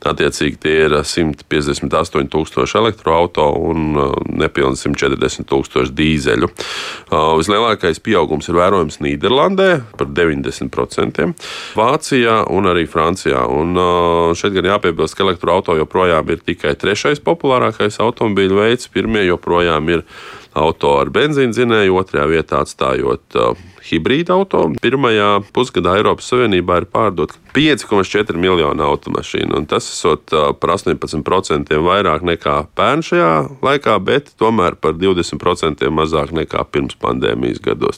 Attiecīgi tie ir 158,000 elektroauto un nepilni 140,000 dīzeļu. Vislielākais pieaugums ir vērojams Nīderlandē par 90%, Vācijā un arī Francijā. Un šeit gan jāpiebilst, ka elektroauto joprojām ir tikai trešais populārākais automobīļu veids. Pirmie joprojām ir auto ar benzīndzinēju, otrajā vietā atstājot hibrīda auto. Pirmajā pusgadā Eiropas Savienībā ir pārdot 5,4 miljonu automašīnu, un tas esot par 18% vairāk nekā pērn šajā laikā, bet tomēr par 20% mazāk nekā pirms pandēmijas gados.